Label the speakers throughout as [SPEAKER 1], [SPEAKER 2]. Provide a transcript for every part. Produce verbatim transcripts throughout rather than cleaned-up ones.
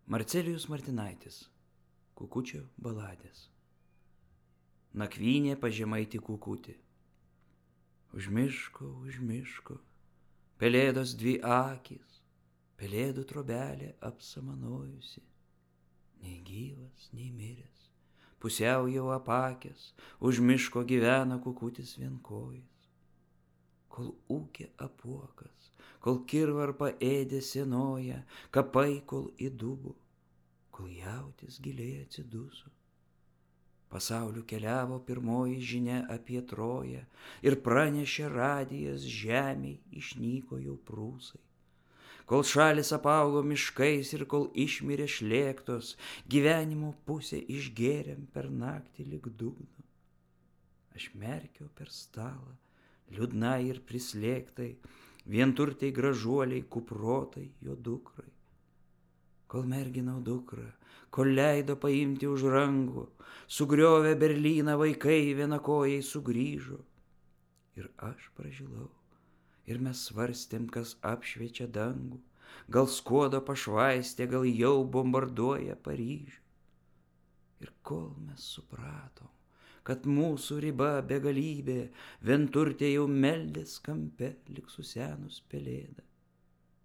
[SPEAKER 1] Marcelijus Martinaitis. Kukučio baladės. Nakvynė pažemaitį kukutį. Už miško, už miško, pelėdos dvi akys, pelėdų trobelė apsamanojusi. Nei gyvas, nei miręs, pusiau jau apakęs, už miško gyvena kukutis vienkojis. Kol ūkė apuokas, kol kirvarpa ėdė senoja, kapai kol įdubo, kol jautis giliai atsiduso. Pasauliu keliavo pirmoji žinia apie Troją ir pranešė radijas žemei išnyko jau prūsai. Kol šalis apaugo miškais ir kol išmirė šlėktos, gyvenimo pusę išgėrėm per naktį lig dugno. Aš merkiau per stalą, liūdnai ir prislėgtai, vienturtei gražuoliai kuprotai jo dukrai. Kol merginau dukrą, kol leido paimti už rankų, sugriovė Berlyną vaikai vienakojai sugrįžo. Ir aš pražilau, ir mes svarstėm, kas apšviečia dangų, gal skuodo pašvaistė, gal jau bombarduoja Paryžių. Ir kol mes supratom, kad mūsų riba begalybė, vienturtė jau meldės kampe lyg susenus pelėda,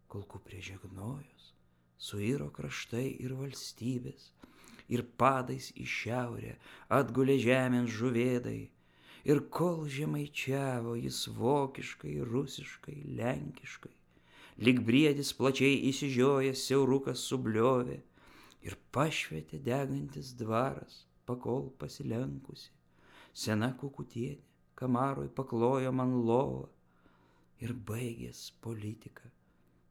[SPEAKER 1] kol kuprė žegnojos, suiro kraštai ir valstybės, ir padais į šiaurę atgulė žemėn žuvėdai, ir kol žemaičiavo jis vokiškai, rusiškai, lenkiškai, lyg briedis plačiai įsižiojęs siaurukas subliovė, ir pašvietė degantis dvaras, pakol pasilenkusi, sena kukutienė kamaroj paklojo man lovą, ir baigės politika.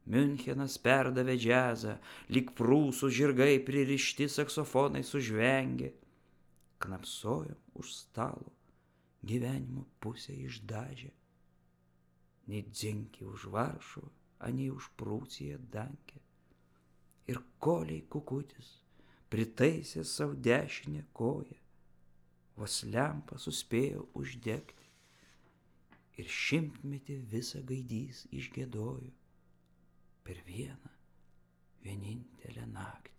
[SPEAKER 1] Miunchenas perdavė džiazą, lyg prūsų žirgai pririšti saksofonai sužvengė. Knapsojom už stalo, gyvenimo pusę išdažė. Nei dzinki už Varšuvą, anei už Prūsiją Dankę. Ir koliai kukutis pritaisė savo dešinę koją, vos lempą suspėjo uždegti. Ir šimtmetį visą gaidys išgiedojo per vieną vienintelę naktį.